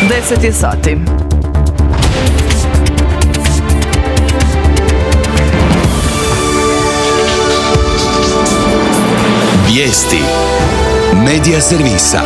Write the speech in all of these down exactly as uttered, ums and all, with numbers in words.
deset je sati. Vijesti Medija servisa.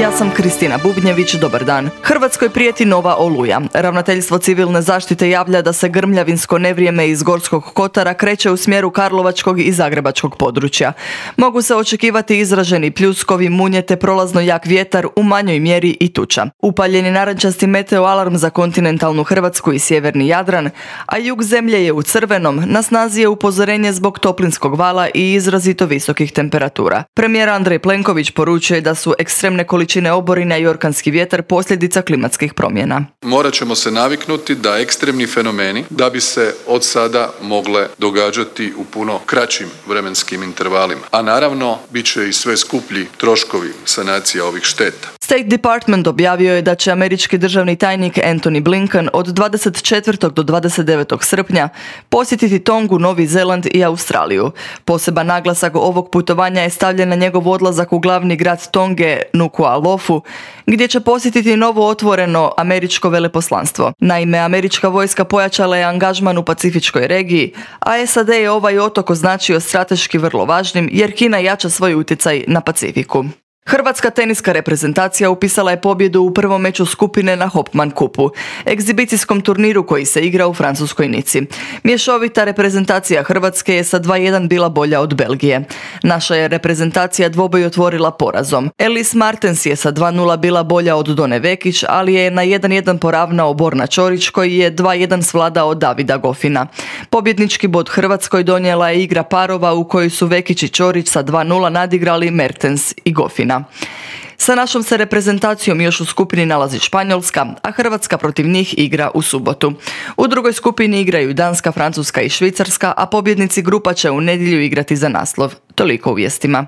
Ja sam Kristina Bubnjević, dobar dan. Hrvatskoj prijeti nova oluja. Ravnateljstvo civilne zaštite javlja da se grmljavinsko nevrijeme iz Gorskog kotara kreće u smjeru karlovačkog i zagrebačkog područja. Mogu se očekivati izraženi pljuskovi, munje te prolazno jak vjetar, u manjoj mjeri i tuča. Upaljeni narančasti meteo alarm za kontinentalnu Hrvatsku i sjeverni Jadran, a jug zemlje je u crvenom, na snazi je upozorenje zbog toplinskog vala i izrazito visokih temperatura. Premijer Andrej Plenković poručuje da su ekstremne količine oborina i orkanski vjetar posljedica klimatskih promjena. Morat ćemo se naviknuti da ekstremni fenomeni, da bi se od sada mogle događati u puno kraćim vremenskim intervalima. A naravno, bit će i sve skuplji troškovi sanacija ovih šteta. State Department objavio je da će američki državni tajnik Antony Blinken od dvadeset četvrtog do dvadeset devetog srpnja posjetiti Tongu, Novi Zeland i Australiju. Poseban naglasak ovog putovanja je stavljen na njegov odlazak u glavni grad Tonge, Nuku'alofu, gdje će posjetiti novo otvoreno američko veleposlanstvo. Naime, američka vojska pojačala je angažman u pacifičkoj regiji, a S A D je ovaj otok označio strateški vrlo važnim jer Kina jača svoj utjecaj na Pacifiku. Hrvatska teniska reprezentacija upisala je pobjedu u prvom meču skupine na Hopman Kupu, egzibicijskom turniru koji se igra u francuskoj Nici. Mješovita reprezentacija Hrvatske je sa dva jedan bila bolja od Belgije. Naša je reprezentacija dvoboj otvorila porazom. Elise Martens je sa dva nula bila bolja od Done Vekić, ali je na jedan jedan poravnao Borna Ćorić koji je dva jedan svladao Davida Gofina. Pobjednički bod Hrvatskoj donijela je igra parova u kojoj su Vekić i Ćorić sa dva nula nadigrali Mertens i Gofina. Sa našom se reprezentacijom još u skupini nalazi Španjolska, a Hrvatska protiv njih igra u subotu. U drugoj skupini igraju Danska, Francuska i Švicarska, a pobjednici grupa će u nedjelju igrati za naslov. Toliko u vijestima.